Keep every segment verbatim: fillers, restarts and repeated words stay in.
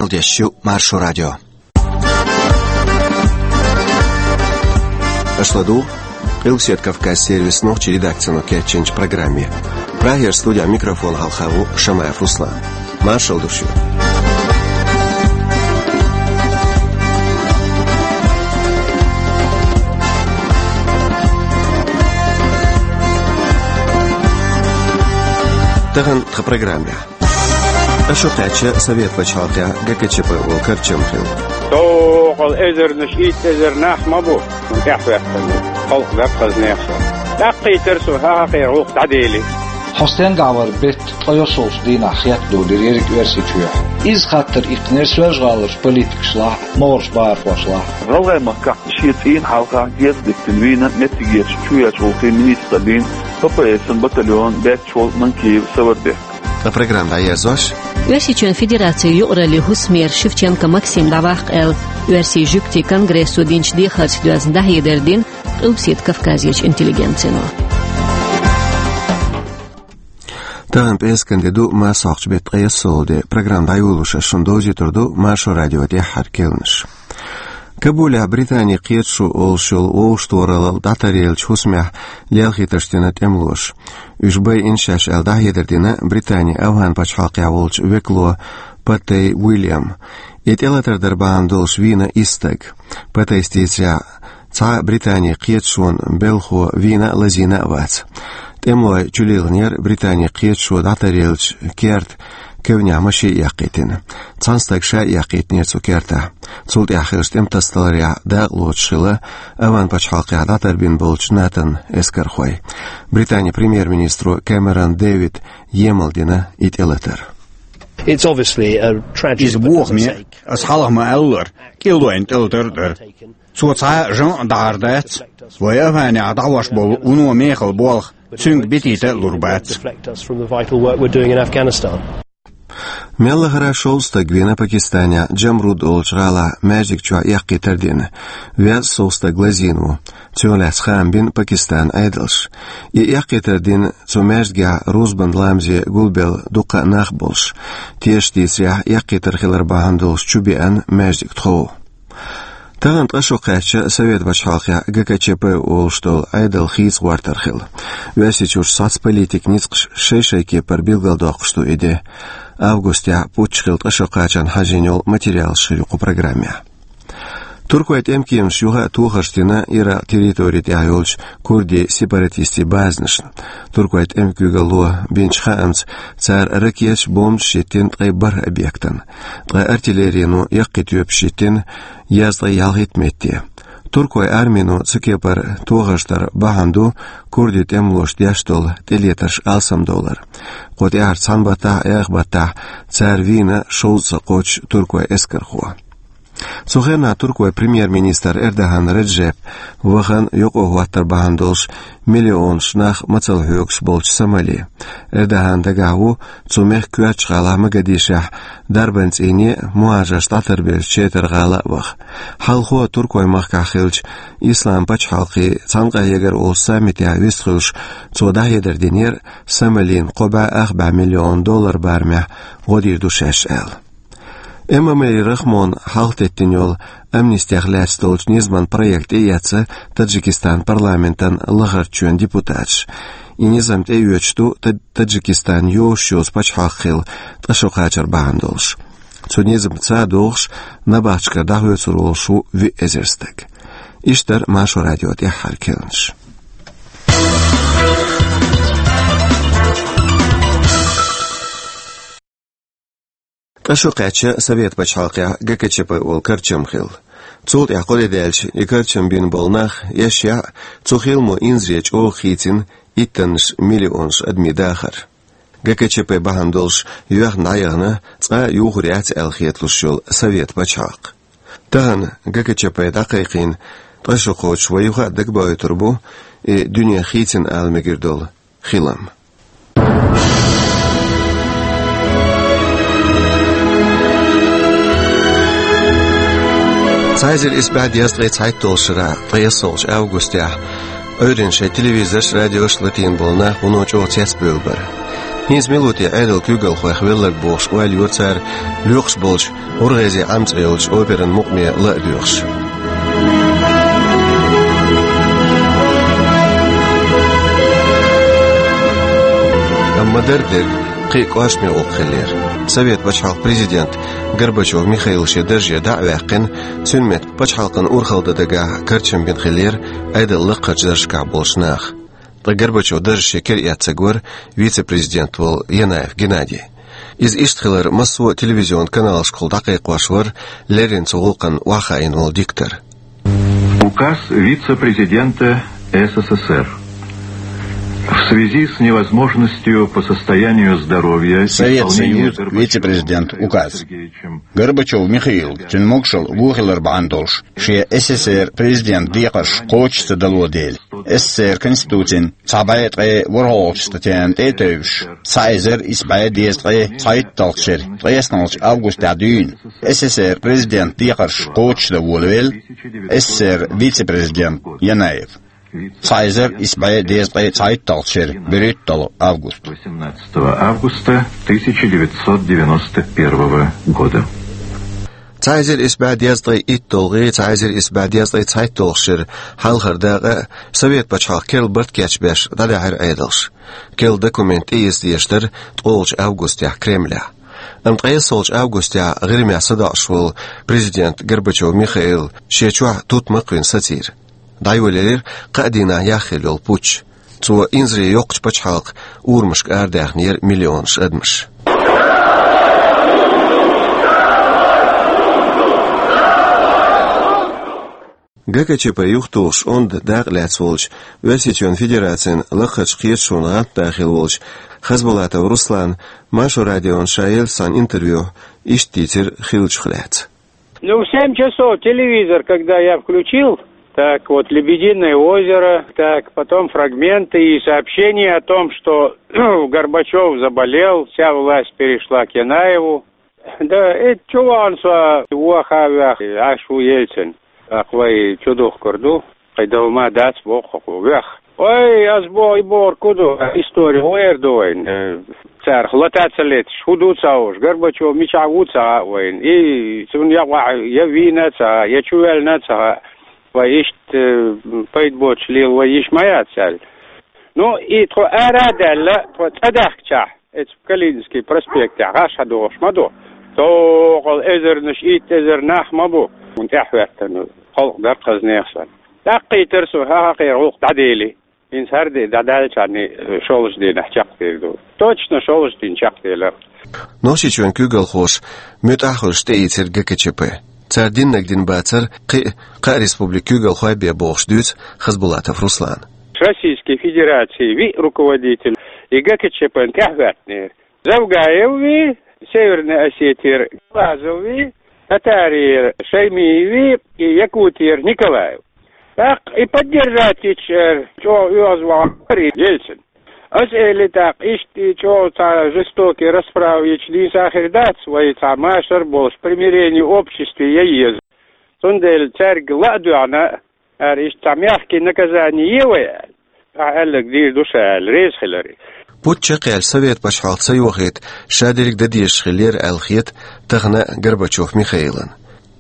Дешю Маршо радио. Аша ладугӀу Къилбаседа Кавказ сервисан нохчийн редакцино кечйинчу программе. Прагера студехь микрофон хьалха ву Шамаев Руслан. Маршалла ду шуьга. Тахана тхан программехь. Ткъа шо кхаьчча Совет пачхьалкхехь ГКЧП волу карчам хилла. Доккхал эзарнаш, итт эзар нах ма бу, хӀун тӀехь хӀоьттина. Халкъ даккхазнех со. ДӀаккхийтар со, хӀан хьакхера гӀуллакх дӀадели. Хьо стенгахь вара беттан ткъе йоьссалгӀачу дийнахь хетта долийра ерриг Оьрсийчохь? Иза хаттар иккхинера Соьлжа-ГӀаларчу политикашлахь, могӀарерчу бахархошлахь. ГӀалгӀайн махкахь шен цӀийнан хьалхахь герз деттина вийна меттигерчу чоьхьарчу гӀуллакхийн министраллин ППС-ан батальон баьчча волу Манкиев Саварбек. Ткъа программа дӀаерзош. Оьрсийчоьнан Федерацин юкъараллин хӀусамера Шевченко Максим дӀаваккха аьлла, оьрсийн жуьгтийн конгрессо динчу дехарца доьзна дӀахьедар дина Къилбаседа Кавказерчу интеллигенцино. Тахана пӀераскан де ду, маса хьокхучу беттан ткъе йоьссалгӀа де. Программа дӀайолош ас шуна довзуьйтур ду Маршо радион тӀаьххьара керланаш. Кабулехь Британин кхеташо олуш йолу вовшахтохаралла дӀатаръеллачу хӀусамехь лелхийтарш дина тӀемалоша. Уьш байина шаьш аьлла дӀахьедар дина Британин АвгӀан пачхьалкхехь волчу векало Патей Уильяма. И тӀелатар дар бахьана долуш вийна исс стаг. Патейс дийцарехь, цхьа а Британин кхеташонан белхахо вийна а, лазийна а вац. ТӀемалой чулилхинера Британин кхеташо дӀатаръеллачу керта кевнехь машен а эккхийтина. Цхьана стага ша а эккхийтинера цу кертахь. Цул тӀаьхьа хиллачу тӀематасадаларехь дакъалоцуш хилла АвгӀан пачхьалкхехь дӀатарбина болчу НАТО-н эскархой. Британин премьер-министро Кэмерон Дэвида емал дина и тӀелатар. It's obviously a tragedy. Иза бохаме, аса хьалха ма-аллара, кӀелдойн тӀелатар а дара. Цо цхьа а жамӀ а дахьар дац, вай АвгӀанехь дӀахьош болу вуно мехала болх цуьнга битийта а лур бац. Deflect us from the vital work we're doing in Afghanistan. Мел лахара шовзткъа стаг вийна Пакистанехь Джамруд олучу гӀалахь маьждиг чохь эккхийтар дина. Везткъа сов стаг лазийна ву. Цунах лаьцна хаам бина Пакистанан Ӏедалша. И эккхийтар дина цу маьждигехь рузбан ламазе гулбелла дуккха а нах болуш. Тешаша дийцарехь, эккхийтар хилар бахьана долуш чубеана маьждиг тхов. Тахана ткъа шо кхаьчча Совет пачхьалкхехь ГКЧП олуш долу Ӏедал хийца гӀортар хилла. Оьрсийчуьра соцполитикан ницкъаша шай-шайн кепара билгалдоккхуш ду и де. Августехь путч хилла ткъа шо кхачарна хьажийна йолу материалаш хир ю кху программехь. Туркойн тӀемкемаша юха а тохарш дина Иракъ территори тӀехь йолчу курдийн сепаратистийн базанашна. Туркойн тӀеман куьйгалло бинчу хаамца, цара ракеташ, бомбаш йиттина ткъе бархӀ объектана. Ткъа артиллерино яккхий тоьпаш йиттина езткъе ялхитта метте. Туркойн армино цу кепара тохарш дар бахьана ду курдийн тӀемалоша деш долу тӀелетарш алсамдовлар. Кху тӀаьхьарчу цхьана баттахь а, эх баттахь а цара вийна шовзткъа кхоччуш туркойн эскархо. Цу хенахь туркойн премьер-министр Эрдоган Реджеп вахана юкъахӀоттар бахьана долуш миллионаш нах мацалла хьоьгуш болчу Сомали. Эрдоган дагахь ву цу мехкан коьртачу гӀалахь Могадишехь дарбан цӀийне а, мухӀажарш дӀатарбеллачу Четар гӀала а ваха. Хьалхо туркойн махкахь хиллачу Ислам пачхьалкхийн цхьаьнакъахьегар олучу саммитехь вистхуьлуш, цо дӀахьедар динера Сомалина кхо бӀе ах бӀе миллион доллар барамехь гӀо дийр ду шаьш аьлла. Эмомали Рахмона хьалхатеттина йолу амнистех лаьцна долчу низаман проект тӀеэцна Таджикистан парламентан лахарчу чоьнан депутаташа. И низам тӀеоьцуш ду Та-, Таджикистан йозуш йоцу пачхьалкх хилла ткъа шо кхачар бахьана долуш. Цу низамца догӀуш набахтешкара дӀахоьцур волуш ву виъ эзар стаг. Иштта дара Маршо радион тӀаьххьара керланаш. Ткъа шо кхаьчча Совет пачхьалкхехь ГКЧП олу карчам хилла. Цул тӀаьхьа кхо де даьлча и карчам бина болу нах эшшехь а, цу хиламо инзаре чӀогӀа хийцина иттаннаш миллионаш адамийн дахар. ГКЧП бахьана долуш йоьхна дӀаяхана цкъа а юхур яц аьлла хеталуш йолу Совет пачхьалкх. Тахана ГКЧП дӀакхайкхийна ткъа шо кхочуш вай юха а дагабоуьйтур бу и дуьне хийцина ала мегар долу хилам. Цхьа эзар исс бӀе дезткъе цхьайтталгӀачу шарахь, ткъе йоьссалгӀачу августехь, Ӏуьйранна шайн телевизорш, радиош латийна болу нах вуно чӀогӀа цецбевлла бара. ХӀинца мел ву те Ӏедалан куьйгалхойх велларг бохуш ойла йора цара, лоькхуш болчу «ГӀургӀезе Ӏам» цӀе йолчу операн мукъаме ла а доьхуш. Амма дара дерг кхин а кӀоршаме гӀуллакх хиллера. Совет пачхьалкхан президент Горбачев Михаил шен дарже дӀа а ваьккхина, цуьнан метта пачхьалкхана урхалла дан дагахь карчам бина хиллера Ӏедалан лакхарчу даржашкахь болчу наха. Ткъа Горбачев даржаш шен кара эцнарг вара вице-президент волу Янаев Геннадий. Иза иштта хилар массо а телевизионан каналашкахула дӀакхайкхош вара, леррина цу гӀуллакхна охьахаийна волу диктор. Указ вице-президента С С С Р. В связи с невозможностью по состоянию здоровья Совет исполнения Союз Горбачёвым вице-президент Михаилом указ. Сергеевичем Горбачёв Михаил, цуьнан могушалла вон хилар бахьана долуш, шен С С С Р президент декхарш кхочуш ца дало дела, С С С Р Конституцин цхьа бӀе ткъе ворхӀалгӀачу статьяна тӀе а тевжаш, цхьа эзар исс бӀе дезткъе цхьайтталгӀачу шеран ткъаесналгӀачу августехь дуьйна С С С Р президент декхарш кхочушдан волавелла С С С Р вице-президент Янаев. Цхьа эзар исс бӀе дезткъе цхьайтталгӀачу шеран берхӀитталгӀа август. Восемнадцатого августа тысяча девятьсот девяносто первого года. Цхьа эзар исс бӀе дезткъе итталгӀий, цхьа эзар исс бӀе дезткъе цхьайтталгӀачу шеран хьалхара дакъа а Совет пачхьалкхан керла барт кечбеш дӀадаьхьира Ӏедалша. Керла документ тӀеэца дезаш дара ткъолгӀачу августехь Кремлехь. Амма ткъаесналгӀачу августехь ГӀирмехь садоӀуш волу президент Горбачёв Михаил шен чохь тутмакх а вина сацийра. ДӀайолаелира кхаа дийнахь яхъелла йолу путч. Цо инзаре йоккхачу пачхьалкхан урамашка арадаьхнера миллионаш адамаш. Г К Ч П юхатухуш онда дакъа лаьцна волчу, Оьрсийчоьнан Федерацин лакхарчу кхеташонан гӀантда хилла волчу Хасбулатов Руслана Маршо радиона ша еллачу цхьана интервьюхь иштта дийцира хиллачух лаьцна. Ну, в семь часов телевизор, когда я включил, так вот, «Лебединое озеро», так, потом фрагменты и сообщение о том, что Горбачёв заболел, вся власть перешла к Янаеву. Да, и чу вахана со ваха а ваьхна, Ӏаш ву Ельцин. ТӀаккха вай чу духкур ду. Кхин дов ма дац боху хӀокхо вех. Ой, ас боху, и бохург хӀун ду, истори гӀера ду вайн. Э, царах лата ца леташ, хӀун ду ца хууш, Горбачёв мичахь ву ца хаьа вайн. И цунна я вахьа, я вийна ца хаьа, я чу ваьллина ца хаьа. Вай иштта, э, пайда боцуш лела вай йиш ма яц аьлла. Ну, и тхо ара а даьлла, тхо цӀа даьхкичахь, эцу Калининский проспектехь гӀаш хьадогӀуш ма ду. Токхал эзарнаш, итт эзар нах ма бу. Хьуна тӀаьхьахӀоьттина халкъ дара хаза нехан санна. ТӀаккха кхийтира со, хӀан хьан кхера гӀуллакх дӀадели. ХӀинца хӀара де дӀадаьллачхьана шолгӀачу дийнахь чекхдийр ду. Точно шолгӀачу дийнахь чекхделира. Нохчийчоьнан куьйгалхоша муьтӀахь а хуьлуш тӀеийцира Г К Ч П. Цара диннарг дина бацара кхин а, кхаа республикан куьйгалхой бен бохуш дуьйцу Хасбулатов Руслана. Российской Федерации виъ руководитель и Г К Ч П-н тӀаьхьахӀоьттинера. Завгаев вий, Северной Осетии, Глазов вий, Татарии Шаймиев вий и Якутии Николаев. ТӀаккха и поддержать йича, чӀогӀа оьгӀазвахар и Ельцин. Ас эли тӀаккха, иштта и чӀогӀа цхьа жестокий расправа йича нийса хир дац, вай цхьа машар а болуш, примирение обществе ян еза. Цундела цаьрга ла а доьгӀна, ара иштта цхьа мягкий наказание е вай аьлла. Ахьа аьлларг дийр ду ша аьлла, реза хилар и. Путч чекхъяьлча, Совет пачхьалкх ца йохийта, ша дерриг дан дезаш хиллера аьлла хета тахана а Горбачёв Михаилан.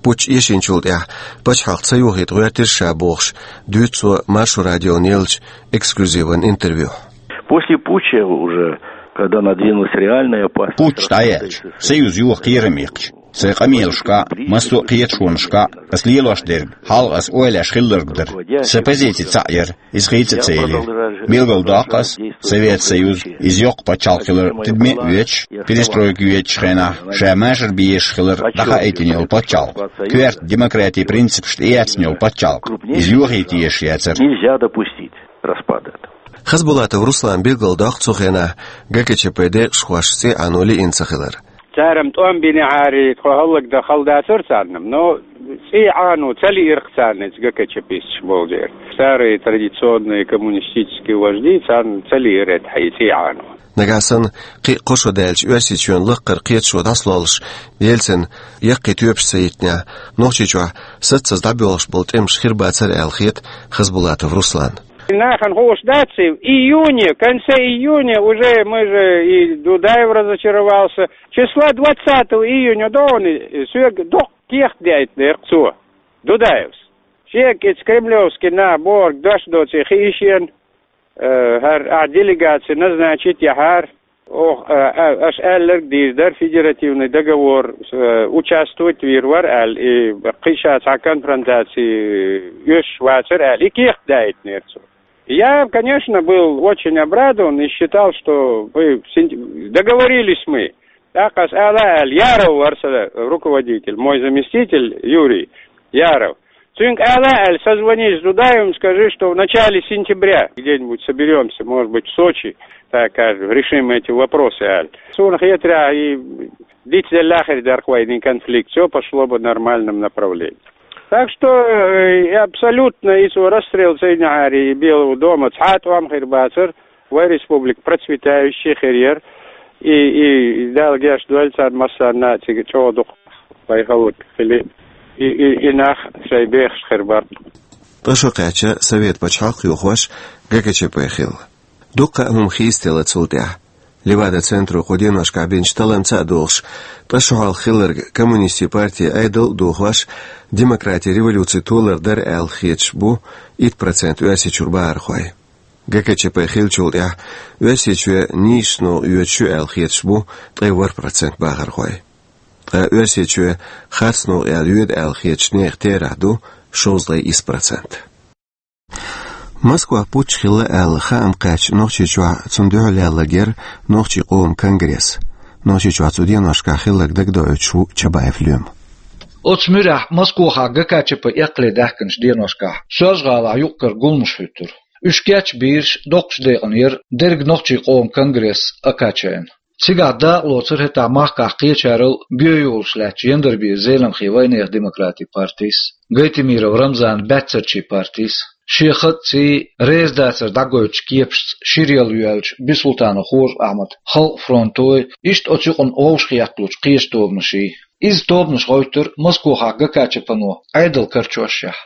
Путч эшначул тӀаьхьа пачхьалкх ца йохийта гӀоьртира ша бохуш, дуьйцу цо Маршо радиона еллачу эксклюзиван интервьюхь. После путча уже, когда надвинулась реальная опасность... Путч дӀаяьлча, союз йоха кхерам иккхича, сайн къамелашкахь а, массо а кхеташонашкахь а ас лелош дерг, хьалха ас ойлаеш хилларг дара. Сан позици цхьаъ яра, иза хийца а ца елира. Билгалдоккху ас, Совет Союз, иза йоккха пачхьалкх хилар тидаме а воьдуш, перестройка йоьдучу хенахь ша машар бан езаш хилар дӀахаийтина йолу пачхьалкх, коьрта демократин принципаш тӀеэцна йолу пачхьалкх, иза йохийта езаш яцара. Нельзя допустить распада этого. Хасбулатов Руслана билгалдоккху цу хенахь Г К Ч П декъашхошна цӀий Ӏано лиъна ца хилар. Цара-м тӀом бинехьара, тхо хӀаллакдан хала дацара царна, но цӀий Ӏано ца лиира-кх царна иза ГКЧПисташ болчеран. Старые традиционные коммунистические вожди, царна ца лиира тхьа и цӀий Ӏано. Нагахь санна кхин а кхо шо даьлча, Оьрсийчоьнан лакхара кхеташо дӀасалоллуш, Ельцина яккхий тоьпаш ца йитинехь, Нохчийчохь саццаза дӀабоьлхуш болу тӀемаш хир бацара аьлла хета Хасбулатов Русланна. Нахана хууш дац, и в июне, в конце июня уже мы же, и Дудаев разочаровался. Числа двадцатого июня догӀана соьга доккха кехат даийтинера цо, Дудаевс. Шега иза кремлевский нах бохург дош доций хи ишен, э, хӀара ахь делегаци назначить яхьара. Ох, э, э, аша аьлларг дийр дара, федеративный договор, э, участвовать вийр вара аьлла, и кхин ша цхьа конфронтаци оьшуш вацара аьлла, и кехат даийтинера цо. Я, конечно, был очень обрадован и считал, что мы син-, договорились мы. ТӀаккха аса ала аьлла, Яров вара сан руководитель, мой заместитель Юрий Яров. Цуьнга ала аьлла, созвонись с Дудаевым, скажи, что в начале сентября где-нибудь соберемся, может быть, в Сочи, так скажем, решим эти вопросы аьлла. Суна хетарехь, и дицделла хир дара вайна конфликт, всё пошло бы в нормальном направлении. Так что, э, и абсолютно и цо расстрел Цейнахьари и Белого дома цхьа а тӀом хир бацара, вай республика процветающая хир яра, и, и Дала гечдойла царна массарна а цига чӀогӀа дукха вай халкъ хили, и, и, и нах шайн бехаш хир бара. Ткъа шо кхаьчна Совет пачхьалкх йохош ГКЧП хилла. Дуккха а хӀума хийцаделла цул тӀаьхьа. Левада-центро кху деношкахь бинчу талламца а догӀуш, ткъа шо хьалха хилларг коммунистийн партин Ӏедал а дохош, демократин революци толар дара аьлла хеташ бу итт процент Оьрсийчуьра бахархой. ГКЧП хиллачул тӀаьхьа Оьрсийчоь нийсачу новкъа йоьдуш ю аьлла хеташ бу ткъе ворхӀ процент бахархой. Ткъа Оьрсийчоь харц новкъа яла йоьду аьлла хетачу нехан терахь ду шовзткъе исс процент. Москвахь путч хилла аьлла хаам кхаьчча Нохчийчохь цунна дуьхьал яьлларг яра нохчийн къоман конгресс. Нохчийчохь цу деношкахь хилларг дагадоуьйтуш ву Чабаев Лоьма. Оцу муьрехь Москвахь ГКЧП эккхале даьхкинчу деношкахь Соьлжа-ГӀалахь юкъ-кара гуламаш хӀуьттура. Уьш кечбийраш доккхачу декъана яра дерриг нохчийн къоман конгресс Акачайна. Цигахь дакъалоцура хӀетахь махкахь кхечарал гоьйолуш лаьттачу Яндарбиев Зеламхин вайнехан демократийн партис, Гайтемиров Рамзанан баьццарчийн партис, шен хатаций, резадацар дӀагойтучу кепашца шира яла йоьллачу Бисултанов Хоржа Ахьмадан Халкъан фронтой, иштта оцу юкъана вовшахъетталучу кхечу тобанаший. Иза тобанаш гӀоьттира Москвахь ГКЧП-но Ӏедал карчошшехь.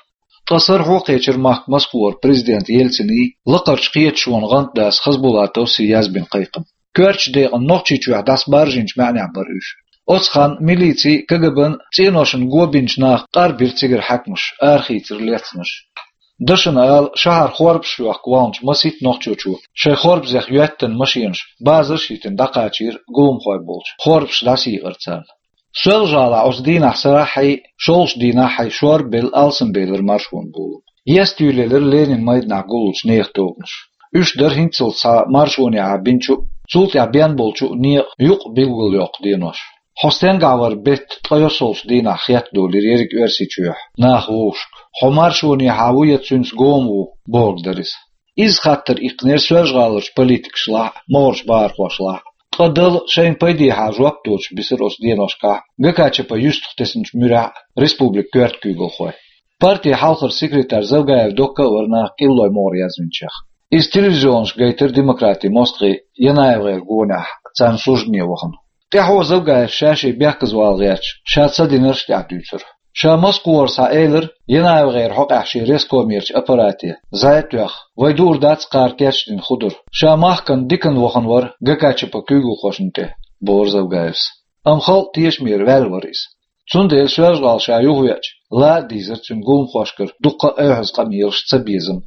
Ткъа сарахьо а кхечира махка Москвара президент Ельциний, лакхарчу кхеташонан гӀантдас Хасбулатовс а язбина кхайкхам. Коьртачу декъана Нохчийчохь дӀасабаржийначу маьӀнехь бара уьш. Оцу ханна милицин, КГБ-н цӀеношна го бинчу наха къарбира цигара хьаькамаш, арахийцира лецнаш. Дашна ала, шахьар хорпаш йохка вахначу масийтта нохчочо шайн хорпазех йоьттина машенаш базарш а йитина дӀакхачийра гуламхой болчу, хорпаш дӀасайийкъира царна. Соьлжа-ГӀалахь оцу дийнахь сарахьий, шолгӀачу дийнахьий шорбелла, алсамбелира маршонан болам. Естуьйлелира Ленинан майданахь гуллучу нехан тобанаш. Уьш дара хӀинццалц цхьа маршонехьа бинчу а, цул тӀаьхьа бен болчу а некъан юкъа билгалйоккху денош. Хьо стенгахь вара бетта ткъе йоьссалгӀачу дийнахь хеттадолийра ерриг Оьрсийчохь наха вовшашка. Хьо маршонехьа ву я цуьнца гома ву, бохург дара иза. Иза хаттар иккхинера Соьлжа-ГӀаларчу политикашлахь а, могӀарерчу бахархошлахь а. Ткъа Дала шайна пайдехьа жоп доцуш бисира оцу деношкахь ГКЧП юьстах тесначу муьрехь а республикан коьрта куьйгалхой. Партин хьалхара секретарь Завгаев Докка а вара наха кӀиллой могӀар язвинчех. Иза телевизионашка гайтира демократийн мостагӀий ЯнаевгӀеран гонехь царна суждане вахана. ТӀаьхьо Завгаевс ша-шен бехказавала гӀерташ, ша ца динарш а тӀаьхьа дуьйцура. Ша Москвара схьаэлира, ЯнаевгӀеран хьокъехь шен рескомерчу аппарате зӀе тоьхна, вай дуур дац кхара кечдина хӀун дара. Ша махкана диканна вахана вара ГКЧП куьйгалхошна тӀе, бохура Завгаевс. Амма халкъан тешамера ваьлла вара иза. Цундела Соьлжа-ГӀала ша юхавеача, ла а дийзира цуьнан гуламхошкара дуккха а оьхьаза къамелаш, цабезам.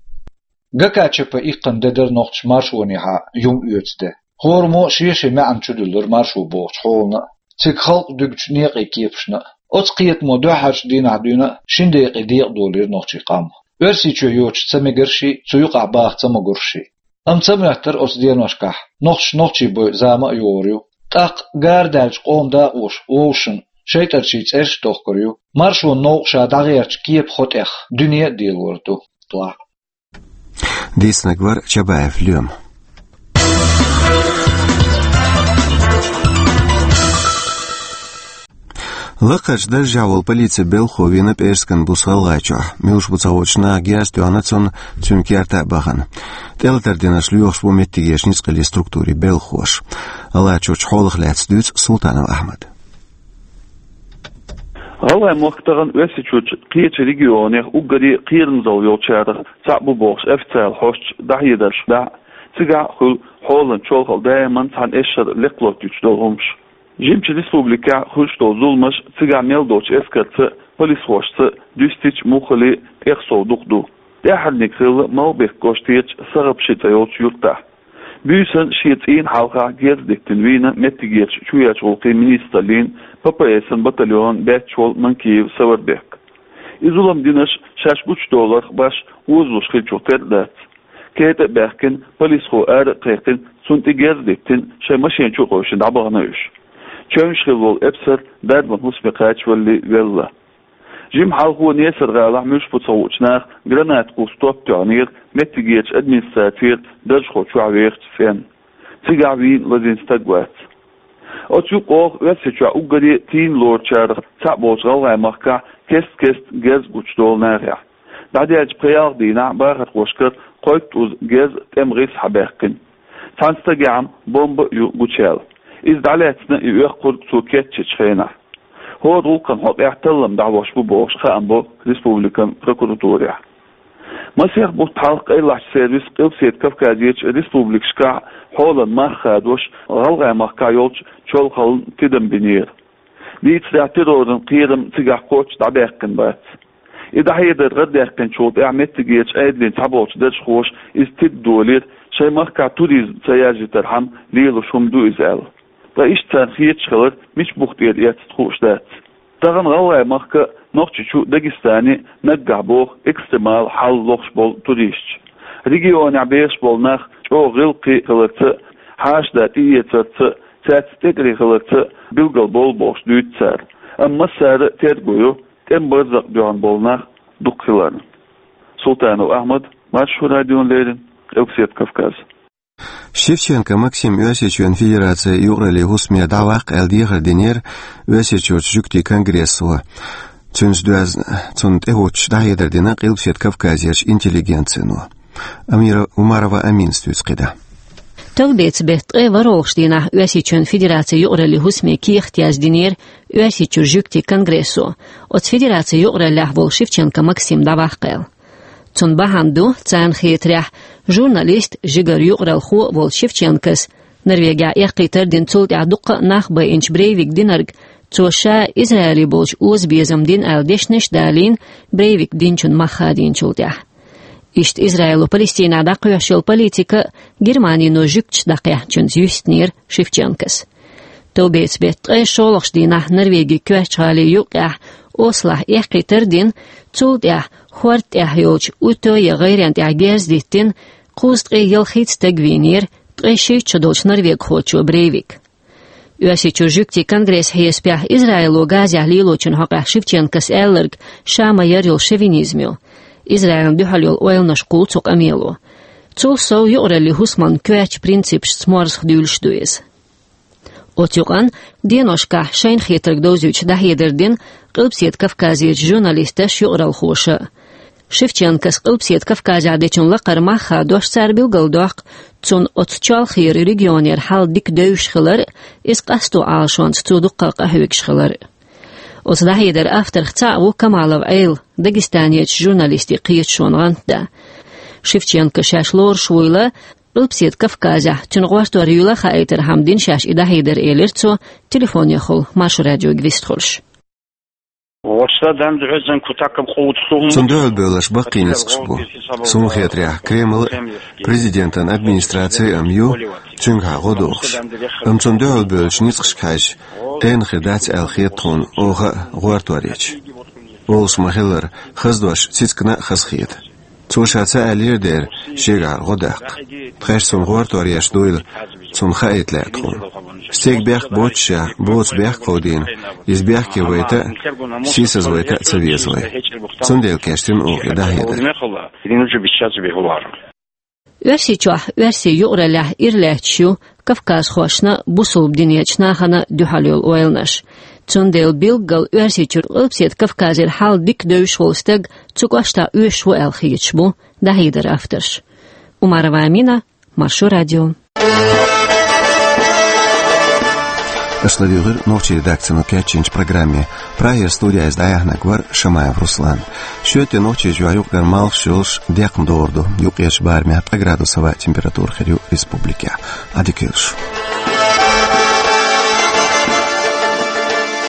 ГКЧП иккхина де дара нохчаша маршонехьа юм оьцу де. ХӀораммо а шен-шен маьӀна чудуьллура маршо бохучу хьолана а, цига халкъ дуьгучу некъийн кепашна а. Оцу кхетамо дуьххьарчу дийнахь дуьйна а шина декъе декъадолийра нохчийн къам. Оьрсийчоь йоцуш ца мегарший, цу юкъахь баха ца могуршший. Амма ца моьттура оцу деношкахь, нохчаша нохчийн бойу зама а йогӀур ю. ТӀаккха гара даьллачу къоман дакъоша вовшашна шайтӀарчийн цӀераш а тохкур ю. Маршонан новкъа ша дӀагӀертачу кепан хьокъехь дуьне а делор ду. Дийцинарг вара Чабаев Лоьма. Лакхарчу даржехь волу полицин белхахо вийна ПӀерскан буса ГӀалгӀайчохь. Муьлш бу ца хоьттуш, наха герз тоьхна цунна, цуьнан керта а бахана. ТӀелатар динарш лоьхуш бу меттигерчу ницкъаллин структурийн белхахоша. ГӀалгӀайчуьрчу хьолах лаьцна дуьйцу Султанов Ахьмада. ГӀалгӀай мохк тахана Оьрсийчуьрчу кхечу регионех уггаре кхерамзалла йолчарах цхьаъ бу бохуш официалан хьосташа дӀахьедарш дахь а, цигахь а хуьлу хьолан чолхалла даиман цхьана эшшара лекха лоттуьйтуш долу хӀумаш. Жимачу республикехь хуьлуш долу зуламаш цигахь мел долчу эскарца а, полисхошца а дуьстича а, муххале а тӀехсов дукха ду. ТӀаьххьарниг хилла Малхбек кӀоштарчу Сагъапши цӀе йолчу юьртахь. Буьйсанна шен цӀийнан хьалха герз диттина вийна меттигерчу чоьхьарчу гӀуллакхийн министраллин, П П С-ан батальонан баьчча волу Манкиев Саварбек. И зулам динарш шаьш гучудовларх башха озалуш хиллачух тера а дац. КетӀа а баьхкина, полисхо ара а кхайкхина, цунна тӀе герз диттина, шайн машен чу а къевшина дӀабахана уьш. Чевнаш хилла волу эпсар дарбан хӀусаме кхачавалале велла. Жимма хьалхо Несар-гӀалахь муьлш бу ца хуучу наха граната кхуссу топ тоьхнера меттигерчу администрацера даржехула чохь вехачу цӀенна. Цигахь вийна лазийна стаг вац. Оцу юкъа оха Оьрсийчохь уггаре а тийна лоручарах цхьаъ болчу ГӀалгӀай махкахь кест-кеста герз гучудолу нахехь. ДӀадаьллачу пхи-ялх дийнахь бахархошкара кхойттуза герз тӀеман гӀиса схьабаьккхина. Цхьана стагехь-м бомба а ю гучуяьлла. Иза дӀалаьцна и оьккхург цо кечйинчу хенахь. ХӀора гӀуллакхан хьокъехь таллам дӀахьош бу бохуш хаам бо республикан прокуратурехь. Масех бутт хьалха къайлахчу сервиса Къилбаседа Кавказерчу республикашкахь хьолан мах хадош ГӀалгӀай махкахь йолчу чолхаллина тидам бинера. Дийцарехь, терроран кхерам цигахь кхоччуш дӀабаьккхина бац. И дӀахьедар гӀардаьккхинчул тӀаьхьа меттигерчу Ӏедалан цхьаболчу даржхоша иза тидам долийра, шайн махкахь туризм ца яржийтархьама лелош хӀума ду иза аьлла. Ткъа иштта царна хеташ хилар мича бух тӀера эцна хууш дац. Тахана ГӀалгӀай махка а, Нохчийчу а, Дагестане а наггахь боху экстремалан хьал лохуш болу туристаш. Регионехь бехаш болу нах чӀогӀа гӀиллакхе хиларца а, хьаша-да тӀеэцарца а, цаьрца тӀекӀаре хиларца а билгал болу бохуш дуьйцу цара. Амма массара а терго йо тӀеман барзакъ дуьхьал болу нах дукха хиларна. Султанов Ахьмад, Маршо радиона леррина, Къилбаседа Кавказ. Шевченко Максим Оьрсийчоьнан Федерацин юкъараллин хӀусаме дӀаваккха аьлла дехар динера Оьрсийчуьрчу жуьгтийн конгрессо. Цуьнца доьзна, цунна тӀехӀуттуш дӀахьедар дина Къилбаседа Кавказерчу интеллигенцино. Амира Умарова Аминас дуьйцу кхидӀа. Товбеца беттан ткъе ворхӀалгӀачу дийнахь Оьрсийчоьнан Федерацин юкъараллин хӀусаме кехат яздинера Оьрсийчуьра жуьгтийн конгрессо, оцу федерацин юкъараллехь волу Шевченко Максим дӀаваккха аьлла. Цунна бахьана ду, царна хетарехь, журналист, жигара юкъаралхо а волчу Шевченкос Норвегехь эккхийтар а дина, цул тӀаьхьа дуккха а нах байинчу Брейвика динарг, цо ша Израиле болчу озабезам дина аьлла дешнаш а далийна, Брейвика динчун мах хадийначул тӀаьхьа. Иштта Израило Палестинехь дӀакхоьхьуш йолу политика а, Германино жуьгташ дӀакхехьначуьнца юьстинера Шевченкос. Товбеца беттан ткъе шолгӀачу дийнахь Норвегин коьртачу гӀалин юккъехь Ослохь эккхийтар а дина, цул тӀаьхьа хӀорда тӀехь йолчу Утёя гӀайрен тӀехь герз диттина, кхузткъе ялхитта стаг вийнера ткъе шийтта шо долчу норвегхочо Брейвика. Оьрсийчуьра жуьгтийн конгрессан хьесапехь, Израило Газехь лелочун хьокъехь Шевченкос аьлларг ша ма-ярра йолу шовинизм ю. Израилна дуьхьал йолу ойланаш кхуллу цу къамело. Цул сов, юкъараллин хӀусаман коьртачу принципашца морзах дуьйлуш ду иза. Оцу юкъанна деношкахь шайна хетарг довзуьйтуш дӀахьедар дина Къилбаседа Кавказерчу журналисташа, юкъаралхоша а. Шевченкос Къилбаседа Кавказехь дечун лакхара мах хадош, цара билгалдоккху цунна оцу чолхера регионера хьал дика девзаш хилар а, иза къасто Ӏалашонца цо дуккха а къахьоьгуш хилар а. Оцу дӀахьедаран авторех цхьаъ ву Камалов Ӏела, Дагестанерчу журналистийн кхеташонан гӀантда. Шевченко шаьш лоруш вуйла, Къилбаседа Кавказехь цуьнан гӀортор юйла хаийтархьама дина шаьш и дӀахьедар, элира цо, телефонехула Маршо радиога вистхуьлуш. Цунна дуьхьал бевлларш баккхий ницкъаш бу. Суна хетарехь, Кремль а, президентан администраци а ю цуьнгахьа гӀо дохуш. Амма цунна дуьхьал бевллачу ницкъашка хьаьжча, тайна хир дац аьлла хета тхуна оха а гӀортор еча. Олуш ма-хиллара, хаза дош цицигна а хазахета. Цо ша ца аьллера дера шегахьара гӀо даккха. Тхаьш цунна гӀортор еш дуйла, цунна хаийта лаьа тхуна. Стеган бехк боццушехь, боцу бехк кховдийна, иза бехке вайта а, сийсазвайта а ца веза вай. Цундела кечдина оха и дӀахьедар. Оьрсийчохь, оьрсийн юкъараллехь ира лаьтташ ю кавказхошна а, бусалба динечу нахана а дуьхьал йолу ойланаш. Цундела билггал Оьрсийчуьра Къилбаседа Кавказера хьал дика девзаш волу стаг цу кӀоштахь оьшуш ву аьлла хеташ бу дӀахьедаран авторш. Умарова Амина, Маршо радио. Аша ладийгӀира нохчийн редакцино кечйинчу программе. Прагера студехь иза дӀаяьхьнарг вара Шамаев Руслан. Шоьтан нохчийн жоьжахатин юкъара малхаш йолуш декхна догӀур ду. Юккъерчу барамехь ткъа градус хӀаваан температура хир ю республикехь. Ӏадика йойла шун.